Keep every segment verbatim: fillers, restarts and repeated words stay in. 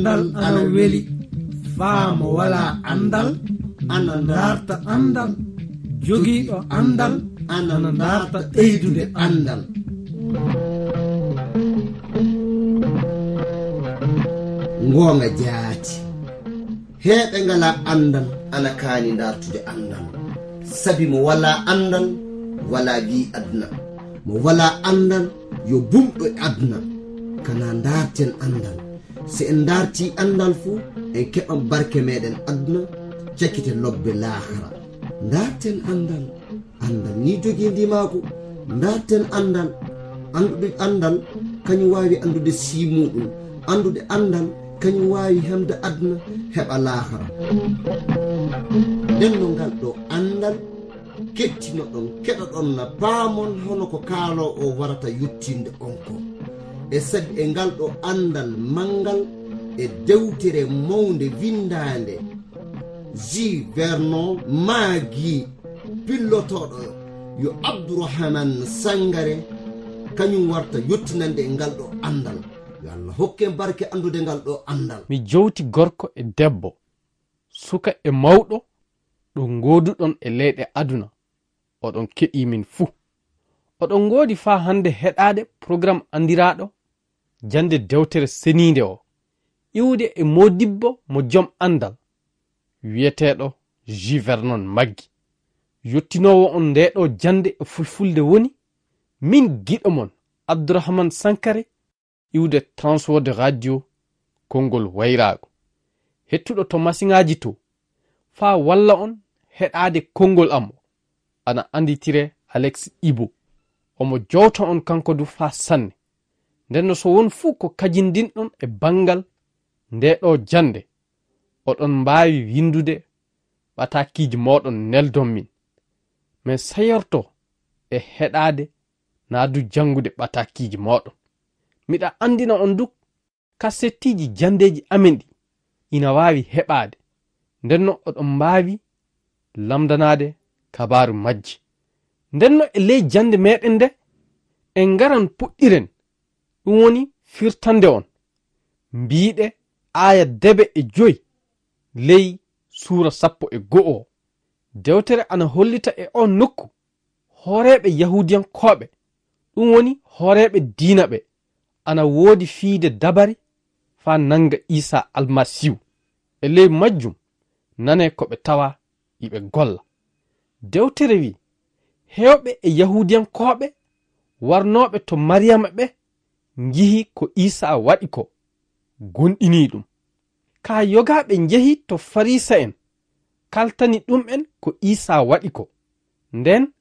Andal ana weli. Faa mo walaa andal ana ndaarta andal. Jogiiɗo andal ana ndaarta ɓeydude andal. Ngoonga jaati. Heeɓe ngalaa andal ana kaani ndaartude andal. Sabi mo walaa andal, walaa wi'i aduna. Mo walaa andal, yo bumɗo e aduna. Kana ndaarten andal. Si en ndaartii anndal fuu, en keɓan barke meeɗen aduna, cakite lobbe laakara. Ndaarten anndal. Anndal ni jogii ndimaagu. Ndaarten anndal. Anndude anndal, kañum waawi anndude sii muuɗum. Anndude anndal, kañum waawi hemde aduna, heɓa laakara. Nden no ngal ɗo anndal, kettinoɗon, keɗoɗon na paamon hono ko kaaloo o warata yottinde on ko. E sabi e ngal ɗo anndal manngal e dewtere mawnde winndaande, J. Vernon Maggi, pillotooɗo yo Abdourahmane Sangare, kañum warta yottinande e ngal ɗo anndal. Yo Allah hokken barke anndude ngal ɗo anndal. Mi jowti gorko e debbo, suka e mawɗo, ɗo ngooduɗon e leyɗe aduna, oɗon keɗii min fuu. Oɗon ngoodi faa hannde heɗaade porogaram anndiraaɗo Jannde Dewtere Seniinde o, iwde e moodibbo mo jom anndal, wiyeteeɗo J. Vernon Maggi. Yottinoowo on ndee ɗo jannde e fulfulde woni, min giɗo mon, Abdourahmane Sankare, iwde Transworld Radio, konngol wayraago. Hettuɗo to masiŋaaji to, faa walla on heɗaade konngol am o, ana annditiree Alex Ibo. Omo jowta on kanko du faa sanne. Nden no so won fuu ko kajindinɗon e banngal ndee ɗo jannde, oɗon mbaawi winndude ɓataakiiji mooɗon neldon min. Min seyorto e heɗaade naa du janngude ɓataakiiji mooɗon. Miɗa anndina on du kasettiiji janndeeji amen ɗi ina waawi heɓaade. Nden no oɗon mbaawi lamndanaade kabaaru majji. Nden no e ley jannde meeɗen nde, en ngaran puɗɗiren, ɗum woni firtande on. Mbiiɗe aaya debe e joy ley suura sappo e go'o o. Dewtere ana hollita e on nokku hooreeɓe Yahuudiyankooɓe, ɗum woni hooreeɓe diina ɓe, ana woodi fiyde dabari faa nannga Iisaa Almasiihu. E ley majjum, nanee ko ɓe tawa iɓe golla. Dewtere wi'i, heewɓe e Yahuudiyankooɓe warnooɓe to Mariyama ɓe njihi ko Iisaa waɗi ko, gomɗinii ɗum. Kaa yogaaɓe njehi to Fariisa'en, kaltani ɗum'en ko Iisaa waɗi ko. Nden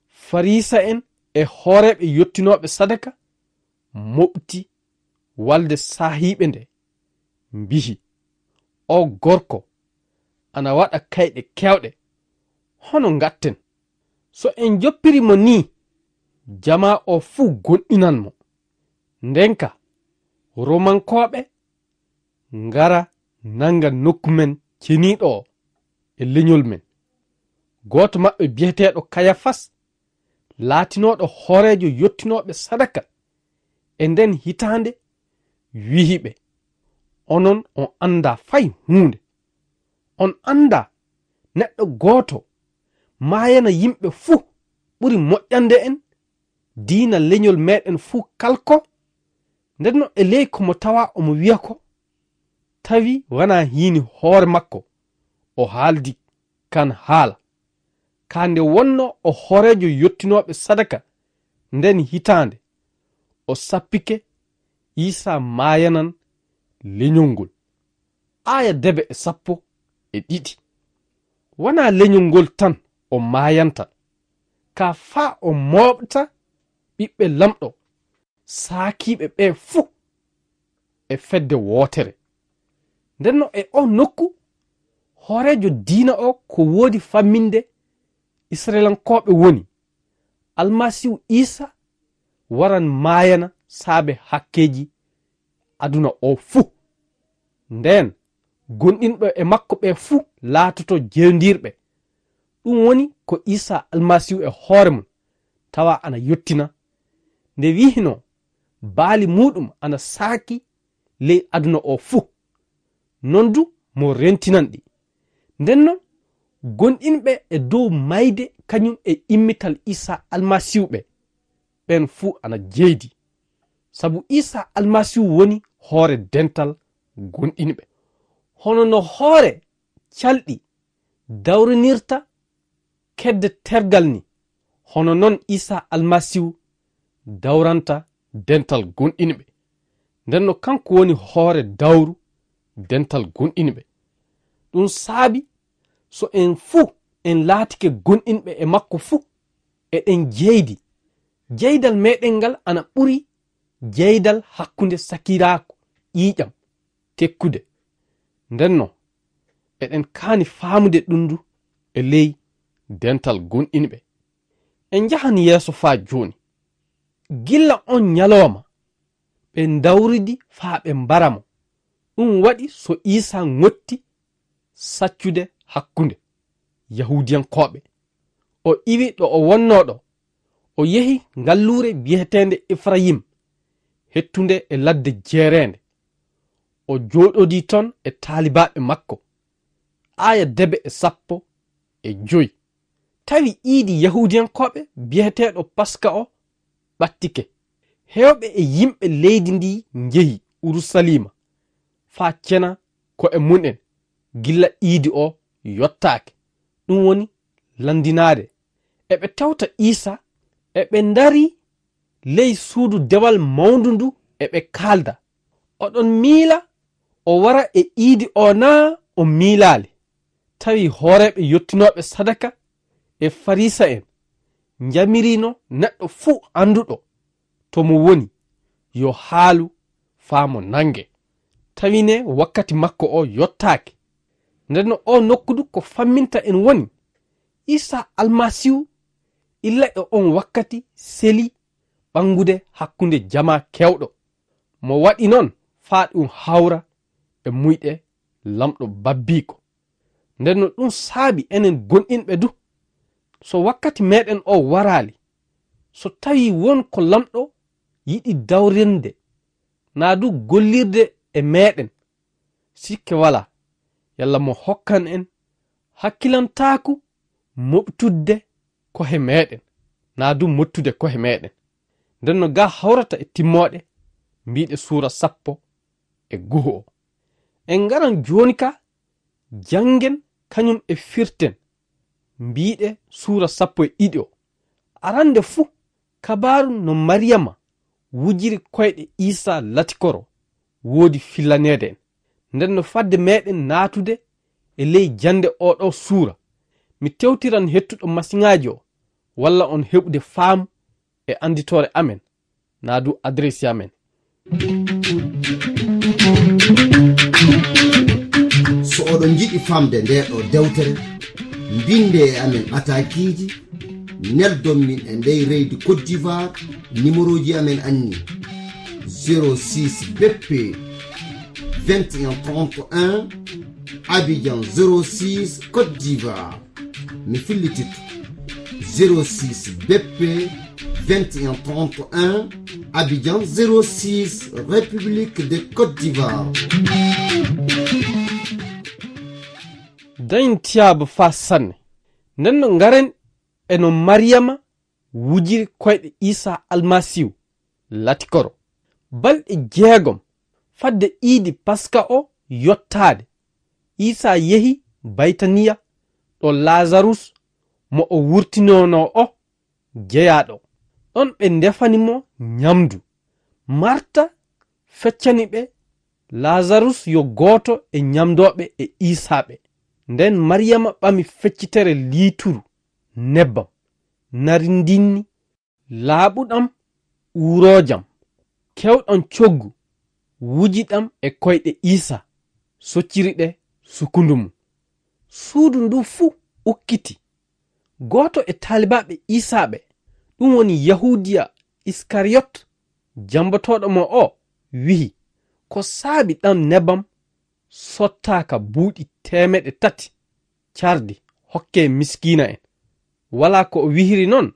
Fariisa'en e hooreeɓe yottinooɓe sadaka moɓti walde saahiiɓe nde, mbi'i, "Oo gorko ana waɗa kayɗe keewɗe. Hono ngatten? So en njoppiri mo nii, jamaa o fuu gomɗinan mo." Nden ka Romankooɓe ngara nannga nokku men ceniiɗo o e leñol men. Gooto maɓɓe biyeteeɗo Kayafas, laatinooɗo hooreejo yottinooɓe sadaka e nden hitaande, wi'i ɓe, "Onon on anndaa fay huunde. On anndaa neɗɗo gooto maayana yimɓe fuu ɓuri moƴƴande en, diina leñol meeɗen fuu kalko?" Nden no e ley ko mo tawa omo wi'a ko, tawi wanaa hiini hoore makko o haaldi kan haala. Kaa nde wonnoo o hooreejo yottinooɓe sadaka nden hitaande, o sappike Iisaa maayanan leñol ngol. Aaya debe e sappo e ɗiɗi. Wanaa leñol ngol tan o maayanta, kaa faa o mooɓta ɓiɓɓe Laamɗo saakiiɓe ɓe fuu e fedde wootere. Nden no e oo nokku, hooreejo diina o ko woodi famminde Isra'ilankooɓe woni, Almasiihu Iisaa waran maayana saabe hakkeeji aduna o fuu. Nden, gonɗinɓe e makko ɓe fuu laatoto jewndirɓe. Ɗum woni ko Iisaa Almasiihu e hoore mum tawa ana yottina, nde wi'inoo baali muuɗum ana saaki ley aduna o fuu. non du mo rentinan ɗi. Nden non, gonɗinɓe e dow mayde kañum e immital Iisaa Almasiihu ɓe, ɓen fuu ana jeydi. Sabu Iisaa Almasiihu woni hoore dental gonɗinɓe. Hono no hoore calɗi dawrinirta kedde tergal ni, hono non Iisaa Almasiihu dawranta dental gonɗinɓe. Nden no kanko woni hoore dawru dental gonɗinɓe. Ɗum saabi so en fuu en laatike gonɗinɓe e makko fuu, eɗen jeydi. Jeydal meɗen ngal ana ɓuri jeydal hakkunde sakiraaku ƴiiƴam tekkude. Nden non, eɗen kaani faamude ɗum ndu e ley dental gonɗinɓe. En njahan yeeso faa jooni. Gilla on ñalooma, ɓe ndawridi faa ɓe mbara mo. Ɗum waɗi so Iisaa ŋotti saccude hakkunde Yahuudiyankooɓe. O iwi ɗo o wonnoo ɗo. O yehi ngalluure biyeteende Efrayim, hettunde e ladde jeereende. O jooɗodii ton e taalibaaɓe makko. Aaya debe e sappo e joy. Tawi iidi Yahuudiyankooɓe biyeteeɗo Paska o ɓattike. Heewɓe e yimɓe leydi ndi njehi Urusaliima faa cena ko'e mum'en gilla iidi o yottaake, ɗum woni lanndinaade. Eɓe tewta Iisaa, eɓe ndarii ley suudu dewal mawndu ndu eɓe kaalda. Oɗon miila o wara e iidi o naa o miilaali? Tawi hooreeɓe yottinooɓe sadaka e Fariisa'en njamirino neɗɗo fuu annduɗo to mo woni, yo haalu faa mo nannge. Tawi ne wakkati makko o yottaaki. Nden no o nokku du ko famminta en woni, Iisaa Almasiihu illa e on wakkati seli ɓanngude hakkunde jamaa keewɗo. Mo waɗi non faa ɗum hawra e muyɗe Laamɗo babbiiko. Nden no ɗum saabi enen gonɗinɓe du, so wakkati meɗen o waraali, so tawi won ko Laamɗo yiɗi dawrinde, naa du gollirde e meɗen, sikke walaa, yalla mo hokkan en hakkilantaaku moɓtudde kohe meɗen, naa du mottude kohe meɗen. Nden no ga hawrata e timmooɗe, mbiiɗe suura sappo e go'o o. En ngaran jooni ka, janngen kañum e firten, mbiiɗe suura sappo e ɗiɗi o. Arande fuu, kabaaru no Mariyama wujiri koyɗe Iisaa latikoro woodi fillaneede en. Nden no fadde meɗen naatude e ley jannde oo ɗoo suura, mi tewtiran hettuɗo masiŋaaji o, walla on heɓude faamu e annditoore amen, naa du adresi amen. So oɗon njiɗi famde ndee ɗoo dewtere, mbinde e amen ɓataakiiji, neldon min e ndey leydi Côte d'Ivoire, nimerooji amen anni: zéro six B P vingt et un trente et un, Abidjan zéro six, Côte d'Ivoire. Mi fillititto: zéro six B P vingt et un trente et un, Abidjan zéro six, République de Côte d'Ivoire. Dañin tiyaabu faa sanne. Nden no ngaren e no Mariyama wujiri koyɗe Iisaa Almasiihu latikoro. Balɗe jeegom fadde iidi Paska o yottaade, Iisaa yehi Baytaniya ɗo Laazarus mo o wurtinonoo o jeyaa ɗo. Ɗon ɓe ndefani mo nyamdu. Marta feccani ɓe Laazarus yo gooto e nyamdooɓe e Iisaa ɓe. Nden Mariyama ɓami feccitere liituru nebbam narindinni laaɓuɗam uurojam, kewɗam coggu, wuji ɗam e koyɗe Iisaa, socciri ɗe sukundu mum. Suudu ndu fuu ukkiti. Gooto e taalibaaɓe Iisaa ɓe, ɗum woni Yahuudiya Iskariyot, jambotooɗo mo o, wi'i: Ko saabi ɗam nebam sottaaka buuɗi teemeɗe tati cardi hokkee miskiina'en? Walaa ko o wi'iri non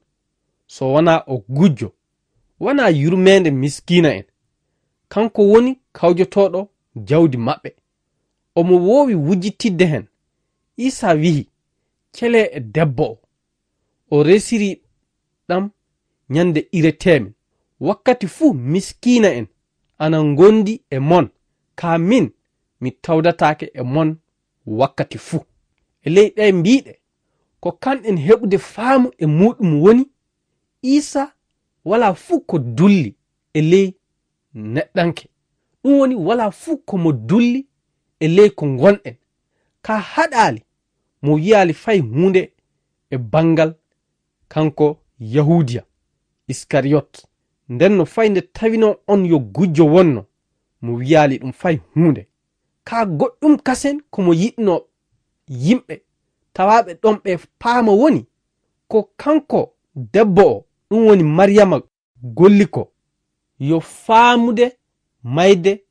so wanaa o gujjo, wanaa yurmeende miskiina'en. Kanko woni kawjotooɗo jawdi maɓɓe. omo woowi wujjitidde heen. Iisaa wiyi, "Celee e debbo o." O resiri ɗam ñande ireteemin. Wakkati fuu miskiina en ana ngondi e mon, kaa min mi tawdataake e mon wakkati fuu. E ley ɗee mbiiɗe, ko kanɗen heɓude faamu e muuɗum woni, Iisaa walaa fuu ko dulli e ley neɗɗanke. Ɗum woni, walaa fuu ko mo dulli e ley ko ngonɗen. Kaa haɗaali, mo wiyaali fay huunde e banngal kanko Yahuudiya Iskariyot. Nden no fay nde tawinoo on yo gujjo wonno, mo wiyaali ɗum fay huunde. Kaa goɗɗum kasen ko mo yiɗnoo yimɓe tawaaɓe ɗon ɓe paama woni, ko kanko debbo o, ɗum woni Mariyama golli ko, yo faamude mayde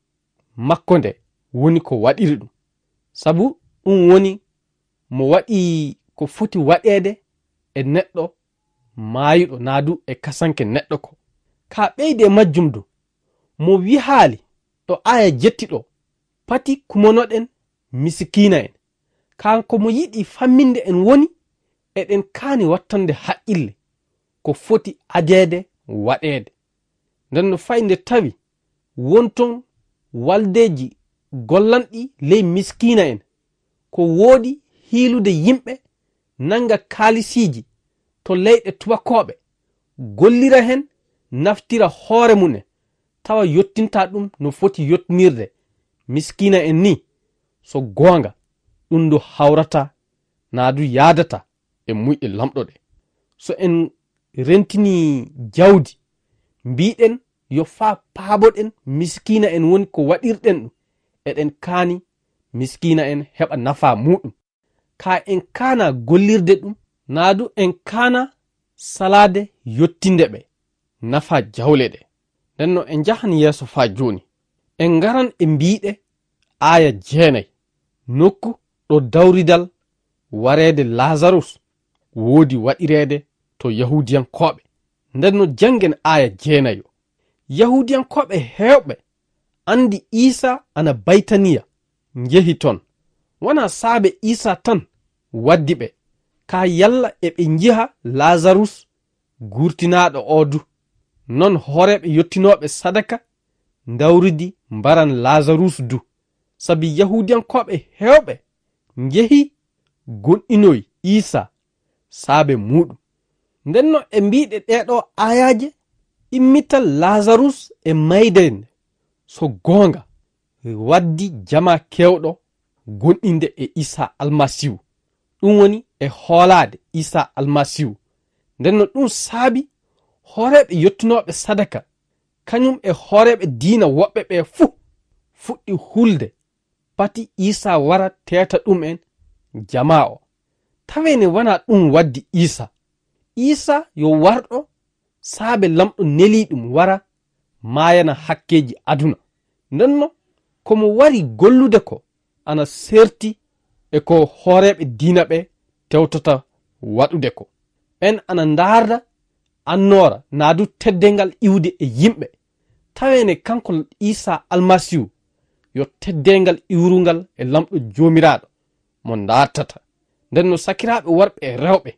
makko nde woni ko waɗiri ɗum. Sabu ɗum woni mo waɗi ko foti waɗeede e neɗɗo maayuɗo, naa du e kasanke neɗɗo ko. Kaa ɓeydi e majjum du, mo wihaali ɗo aaya jetti ɗo, pati kumonoɗen misikiina en. Kanko mo yiɗi famminde en woni, eɗen kaani wattande haqqille ko foti adeede waɗeede. Nden no fay nde tawi won ton waldeeji gollanɗi ley miskiina en, ko woodi hiilude yimɓe nannga kaalisiiji to leyɗe tubakooɓe, gollira heen, naftira hoore mum en, tawa yottinta ɗum no foti yottinirde miskiina en ni. So goonga, ɗum ndu hawrata, naa du yaadata e muyɗe lamɗo ɗe. So en rentini jawdi, mbiɗen yo faa paaboɗen miskiina en woni ko waɗirɗen ɗum, eɗen kaani miskiina en heɓa nafaa muuɗum. Kaa en kaana gollirde ɗum, naa du en kaana salaade yottinde ɓe nafaa jawle ɗe. Nden no en njahan yeeso faa jooni. En ngaran e mbiiɗe aaya jeenay, nokku ɗo dawridal wareede Laazarus woodi waɗireede to Yahuudiyankooɓe. Nden no janngen aaya jeenayo. Yahuudiyankooɓe heewɓe anndi Iisaa ana Baytaniya, njehi ton. Wanaa saabe Iisaa tan waddi ɓe, kaa yalla eɓe njiha Laazarus guurtinaaɗo oo du. Non hooreeɓe yottinooɓe sadaka ndawridi mbaran Laazarus du. Sabi Yahuudiyankooɓe heewɓe njehi goonɗinoyi Iisaa saabe muuɗum. Nden no e mbiiɗe ɗee ɗoo aayaaje, immital Laazarus e mayde nde, so goonga, waddi jamaa keewɗo goonɗinde e Iisaa Almasiihu, ɗum woni e hoolaade Iisaa Almasiihu. Nden no ɗum saabi hooreeɓe yottinooɓe sadaka, kañum e hooreeɓe diina woɓɓe ɓe fuu fuɗɗi hulde pati Iisaa wara teeta ɗum'en jamaa o. Tawee ne wanaa ɗum waddi Iisaa. Iisaa yo warɗo saabe Lamɗo nelii ɗum wara maayana hakkeeji aduna. Nden no ko mo wari gollude ko ana seerti e ko hooreeɓe diina ɓe tewtata waɗude ko. Ɓen ana ndaarda annoora naa du teddeengal iwde e yimɓe. Tawee ne kanko Iisaa Almasiihu yo teddeengal iwrungal e Lamɗo Joomiraaɗo mo ndaartata. Nden no sakiraaɓe worɓe e rewɓe,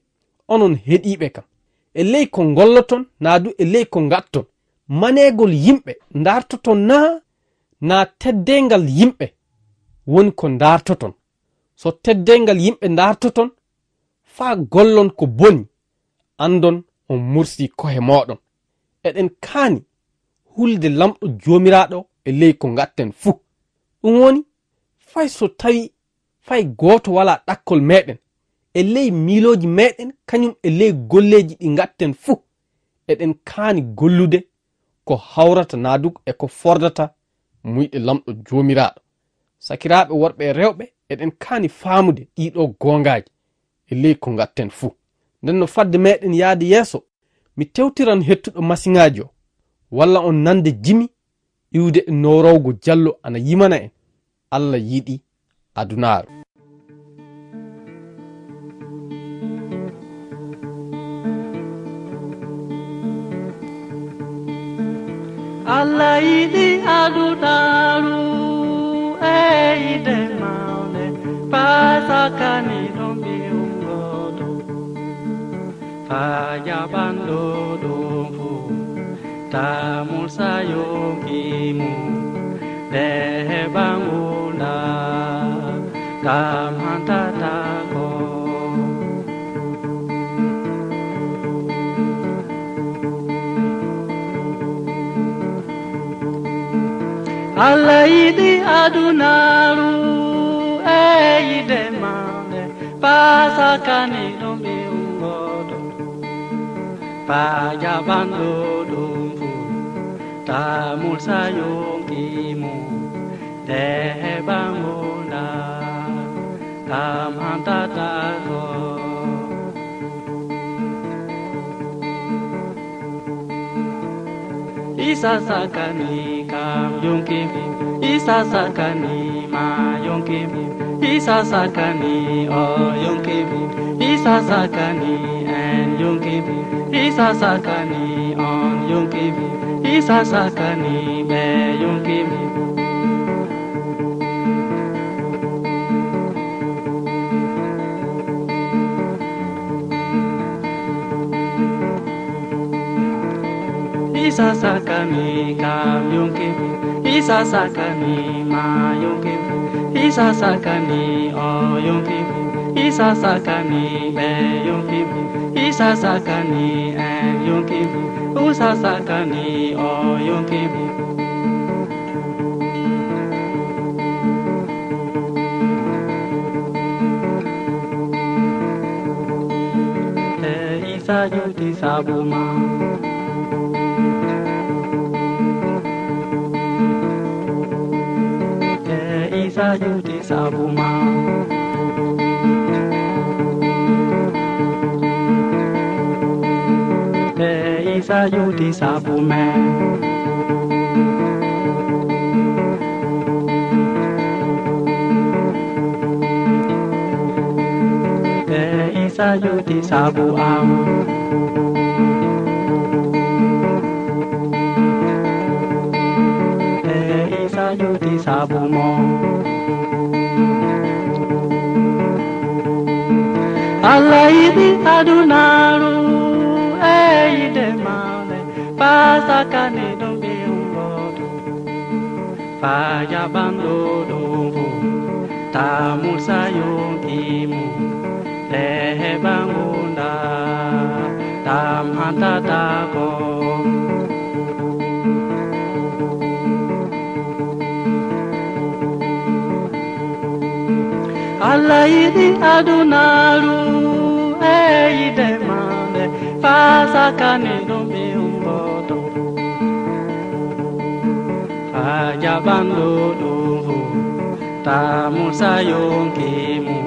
onon heɗiiɓe kam, e ley ko ngolloton naa du e ley ko ngaɗton, maneegol yimɓe ndaartoton naa, naa teddeengal yimɓe woni ko ndaartoton? So teddeengal yimɓe ndaartoton, faa gollon ko boni, anndon on mursii ko'e mooɗon. Eɗen kaani hulde Lamɗo Joomiraaɗo e ley ko ngaɗten fuu. Ɗum woni, fay so tawi fay gooto walaa ɗakkol meɗen, e ley miilooji meɗen kañum e ley golleeji ɗi ngaɗten fuu, eɗen kaani gollude ko hawrata naa du e ko fordata muyɗe Lamɗo Joomiraaɗo. Sakiraaɓe worɓe e rewɓe, eɗen kaani faamude ɗiiɗoo goongaaji e ley ko ngaɗten fuu. Nden no fadde meɗen yaade yeeso, mi tewtiran hettuɗo masiŋaaji o, walla on nande jimi iwde e nowrowgo jallo ana yimana en, Alla yiɗi adunaaru. Alla yiɗi adunaaru e yiɗde ma. Sakani ɗum ɓiyum gooto, faa jaɓanɗo ɗum fuu, tamul sa yonki mum, de heɓa ngurndan, kam hantata ko. Allah yiɗi adunaaru e yiɗde maande, faa sakani ɗum ɓiyum gooto, faa jaɓanɗo ɗum fuu, tamul sa yonki mum, de heɓa ngurndan, kam hantata ko. Isa sakani kam yonki, Isa sakani ma yonki, Isa sakani o yonki, Isa sakani en yonki, Isa sakani on yonki, Isa sakani ɓe yonki. Isa sakani kam yonki, Isa sakani ma yonki, Isa sakani o yonki, Isa sakani ɓe yonki, Isa sakani en yonki, Isa sakani o yonki. Te Isa juuti sabu ma. Te Isa juuti sabu ma. Te Isa juuti sabu men. Te Isa juuti sabu am. Te Isa juuti sabu mo. Allah yiɗi adunaaru e yiɗde maande, faa sakani ɗum ɓiyum gooto, faa jaɓanɗo ɗum fuu, tamul sa yonki mum, de heɓa ngurndan, kam hantata ko. Allah yiɗi adunaaru e yiɗde maande, faa sakani ɗum ɓiyum gooto, faa jaɓanɗo ɗum fuu, tamul sa yonki mum,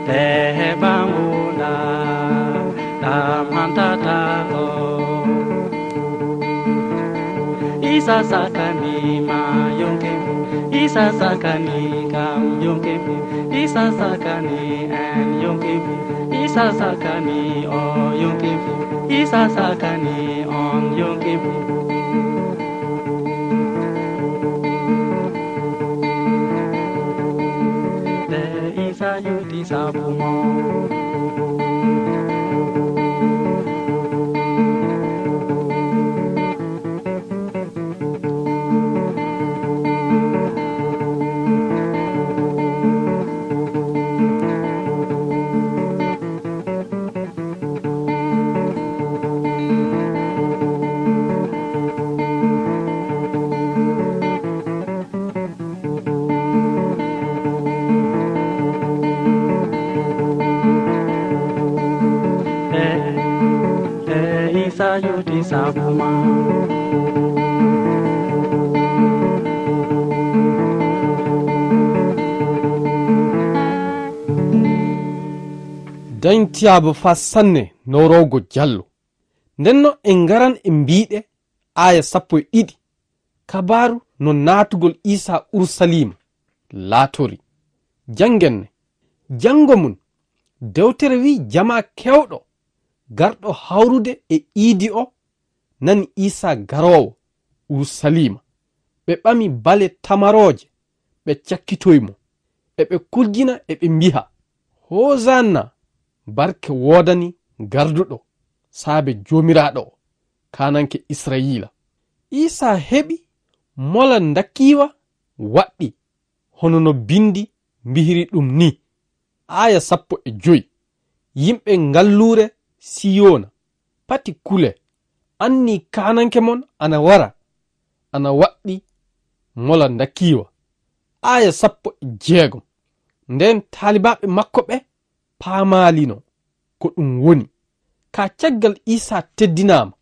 de heɓa ngurndan, kam hantata ko. Isa sakani ma yonki, Isa sakani kam yonki, Isa sakani en yonki, Isa sakani o yonki, Isa sakani on yonki. Te Isa juuti sabu mo. E, e, Isa juuti sabu ma. Dañtiyaaba faa sanne nowrowgo jallo. Ndenno en ngaran e mbiiɗe aaya sappo e ɗiɗi, kabaaru no naatugol Iisaa Urusaliima laatori. Janngen ne. Janngo mum, dewtere wi'i jamaa keewɗo garɗo hawrude e iidi o nani Iisaa garoowo Urusaliima. Ɓe ɓami bale tamarooje, ɓe cakkitoyi mo. Eɓe kurjina, eɓe mbi'a, Hosanna! Barke woodani garduɗo saabe Joomiraaɗo o, kaananke Israyiila. Iisaa heɓi mola ndakiiwa waɗɗi, hono no binndi mbihiri ɗum ni. Aaya sappo e joy. Yimɓe ngalluure Siyona, pati kule, anni kaananke mon ana wara, ana waɗɗi mola ndakiiwa. Aaya sappo e jeegom. Nden taalibaaɓe makko ɓe paamaalino ko ɗum woni. Ka caggal Iisaa teddinaama,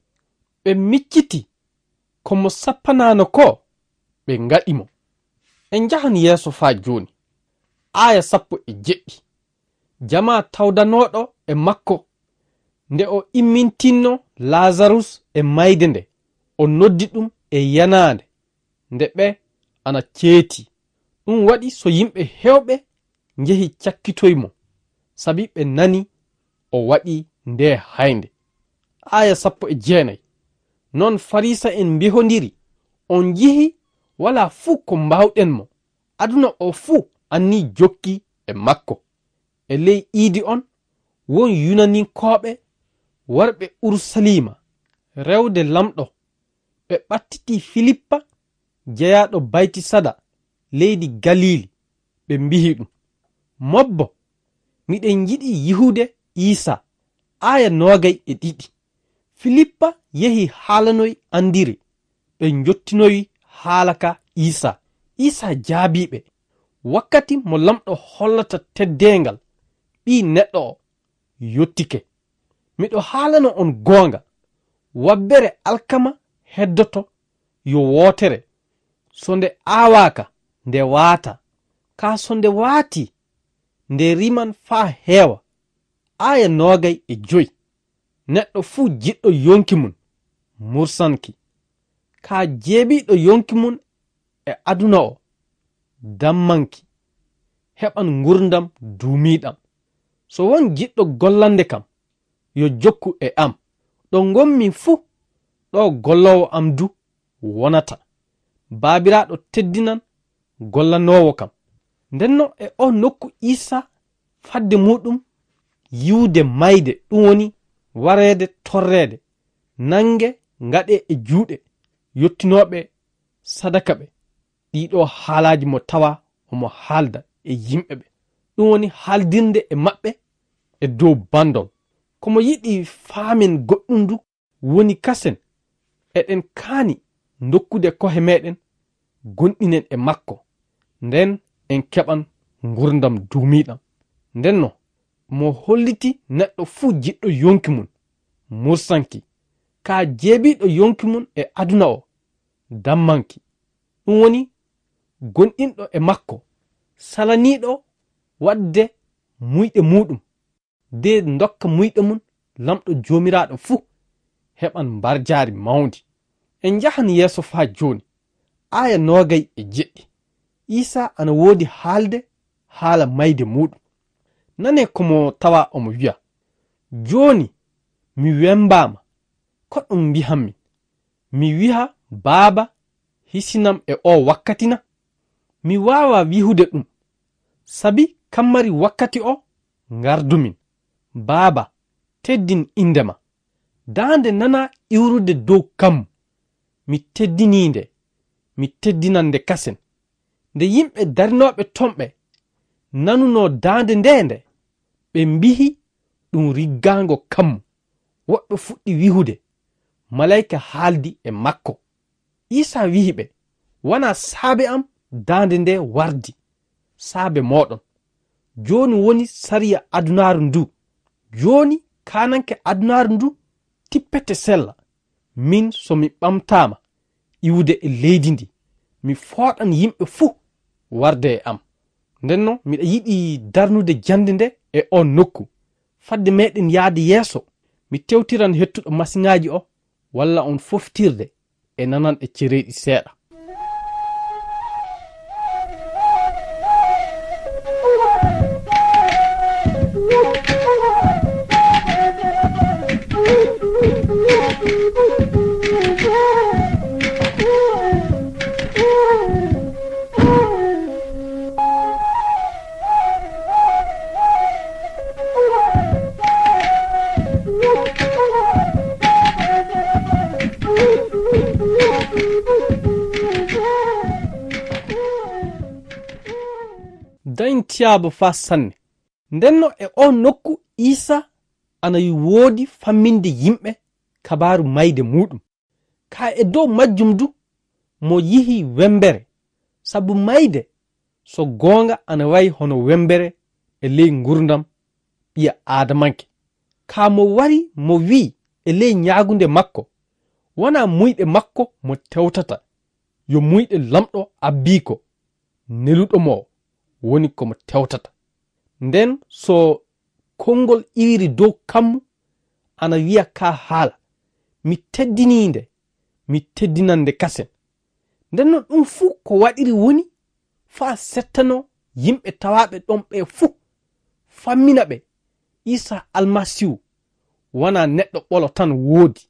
ɓe micciti ko mo sappanaano ko, ɓe ngaɗi mo. En njahan yeeso faa jooni. Aaya sappo e jeɗɗi. Jamaa tawdanooɗo e makko, nde o immintinno Laazarus e mayde nde, o noddi ɗum e yanaande, nde ɓe ana ceeti. Ɗum waɗi so yimɓe heewɓe njehi cakkitoy mo, sabi ɓe nani o waɗi nde haynde. Aaya sappo e jeenay. Non Fariisa'en mbihondiri, "On njihi walaa fuu ko mbaawɗen mo. Aduna o fuu anni jokki e makko." E ley iidi on, won Yunaninkooɓe warɓe Urusaliima rewde Lamɗo, ɓe ɓattitii Filippa jeyaaɗo Baytisada leydi Galiili, ɓe mbihi ɗum, "Mobbo, miɗen njiɗi yihude Iisaa." Aaya noogay e ɗiɗi. Filippa yehi haalanoy Andire, ɓe njottinoyi haala ka Iisaa. Iisaa jaabii ɓe, "Wakkati mo Lamɗo hollata teddeengal Ɓii Neɗɗo o yottike. Miɗo haalana on goonga, wabbere alkama heddoto yo wootere, so nde aawaaka, nde waata, kaa so nde waati, nde riman faa heewa." Aaya noogay e joy. Neɗɗo fuu jiɗɗo yonki mun, mursanki. Kaa jeebiiɗo yonki mun e aduna o, dammanki, heɓan ngurdam duumiiɗam. So won jiɗɗo gollande kam, yo jokku e am. Ɗo ngonmi fuu, ɗo golloowo am du wonata. Baabiraaɗo teddinan gollanoowo kam. Ndenno e o nokku Iisaa fadde muuɗum yiwde mayde, ɗum woni wareede torreede, nange ngaɗee e juuɗe yottinooɓe sadaka ɓe. Ɗiɗo haalaaji mo tawa omo haalda e yimɓe ɓe. Ɗum woni haaldirde e maɓɓe e dow bandol. Ko mo yiɗi faamen goɗɗum du woni kasen, eɗen kaani dokkude kohe meɗen, gonɗinen e makko, nden en keɓan ngurdam duumiiɗam. Ndenno, mo holliti neɗɗo fuu jiɗɗo yonki mun, mursanki, kaa jeebiiɗo yonki mun e aduna o, dammanki. Ɗum woni gonɗinɗo e makko, salaniiɗo waɗde muyɗe muuɗum, de ndokka muyɗe mun Lamɗo Joomiraaɗo fuu heɓan mbarjaari mawndi. En njahan yeeso faa jooni, aaya noogay e jeɗɗi. Iisaa ana woodi haalde haala mayde muuɗum. Nanee ko mo tawa omo wi'a, "Jooni mi wembaama, ko ɗum mbi'anmi? Mi wi'a, 'Baaba, hisinam e oo wakkati na?' Mi waawaa wi'ude ɗum, sabi kammari wakkati o ngardumin. Baaba, teddin innde ma." Daande nanaa iwrude dow kammu. Mi teddinii nde, mi teddinan nde kasen. Nde yimɓe darinooɓe ton ɓe nanunoo daande ndee nde, ɓe mbi'i, "Ɗum riggaango kammu." Woɓɓe fuɗɗi wi'ude, "Malayka haaldi e makko." Iisaa wi'i ɓe, "Wanaa saabe am daande ndee wardi, saabe mooɗon. Jooni woni sariya adunaaru ndu. Jooni kaananke adunaaru ndu tippete sella. Min, so mi ɓamtaama iwude e leydi ndi, mi fooɗan yimɓe fuu warde e am." Ndenno, miɗa yiɗi darnude jannde nde e on nokku. Fadde meɗen yaade yeeso, mi tewtiran hettuɗo masiŋaaji o, walla on foftirde e nananɗe cereeɗi seeɗa. Tiyaabo faa sanne. Ndenno e oo nokku Iisaa ana woodi famminde yimɓe kabaaru mayde muuɗum. Kaa e dow majjum du, mo yihi wemmbere, sabu mayde, so goonga, ana wayi hono wemmbere e ley nguurndam ɓiya aadamanke. Kaa mo wari mo wi'i e ley ñaagunde makko, wanaa muyɗe makko mo tewtata, yo muyɗe Laamɗo abbiiko, neluɗo mo woni ko mo tewtata. Nden so konngol iwiri dow kammu, ana wi'a kaa haala, mi teddinii nde, mi teddinan nde kasen. Ndenno ɗum fuu ko waɗiri woni faa settanoo yimɓe tawaaɓe ɗon ɓee fuu, fammina ɓe Iisaa Almasiihu wanaa neɗɗo ɓolo tan woodi,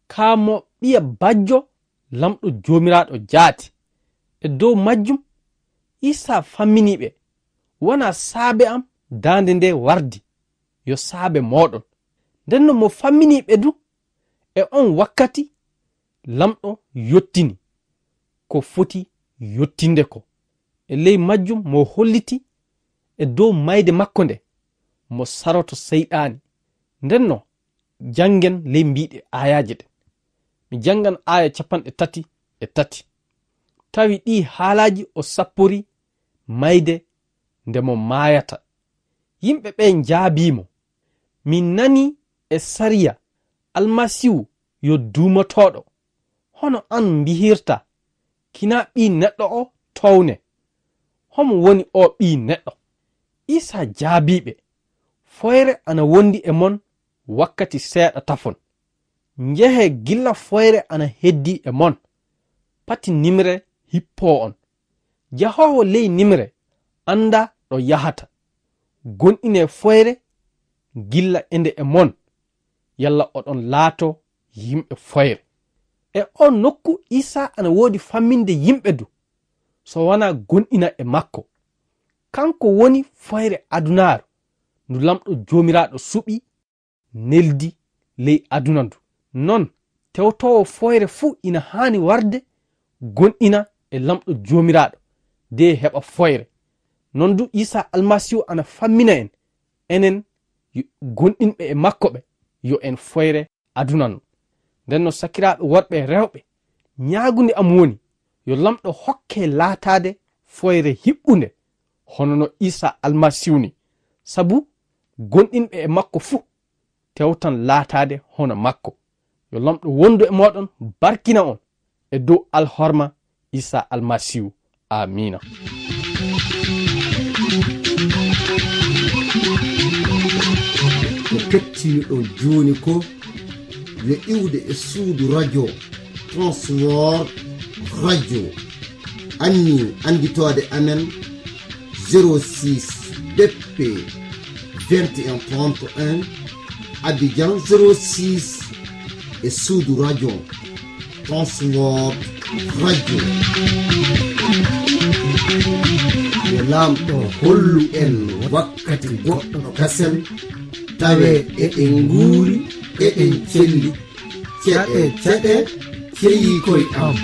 kaa mo ɓiya bajjo Laamɗo Joomiraaɗo jaati. E dow majjum, Iisaa famminii ɓe, wanaa saabe am daande nde wardi, yo saabe mooɗon. Ndenno mo famminii ɓe du, e on wakkati Laamɗo yottini ko foti yottinde ko. E ley majjum mo holliti e dow mayde makko nde, mo saroto Seyɗaani. Ndenno, janngen ley mbiiɗe aayaaje ɗe. Mi janngan aaya capanɗe tati e tati. Tawi ɗii haalaaji o sapporii mayde nde mo maayata. Yimɓe ɓee njaabii mo, min nanii e sariya Almasiihu yo duumotooɗo. Hono an mbihirta, kinaa ɓii neɗɗo o towne. Homo woni oo ɓii neɗɗo? Iisaa jaabii ɓe, foyre ana wondi e mon wakkati seeɗa tafon. Njehee gilla foyre ana heddii e mon. Pati nimre hippoo on. Jahoowo ley nimre anndaa ɗo yahata. Gonɗinee foyre gilla ende e mon, yalla oɗon laatoo yimɓe foyre. E oo nokku Iisaa ana woodi famminde yimɓe du, so wanaa gonɗina e makko. Kanko woni foyre adunaaru ndu Laamɗo Joomiraaɗo suɓi neldi ley aduna ndu. Non, tewtoowo foyre fuu ina haani warde gonɗina e Laamɗo Joomiraaɗo, de heɓa foyre. Non du Iisaa Almasiihu ana fammina en, enen yo-, gonɗinɓe e makko ɓe, yo en foyre aduna ndu. Nden no sakiraaɓe worɓe e rewɓe, ñaagunde am woni, yo Laamɗo hokke laataade foyre hiɓɓunde, hono no Iisaa Almasiihu ni, sabu gonɗinɓe e makko fuu tewtan laataade hono makko. Yo Laamɗo wondu e mooɗon, barkina on e dow alhorma Iisaa Almasiihu. Aamiina. Ko kettiniɗon jooni ko yo iwde e suudu radio Transworld Radio. Anni annditoode amen zéro six B P vingt et un trente et un, Abidjan zéro six, e suudu radio Transworld Radio. Yo Laamɗo hollu en wakkati goɗɗo kasen, tawe eɗen nguuri, eɗen celli. Ceɗe, ceɗe, ceyi koy am.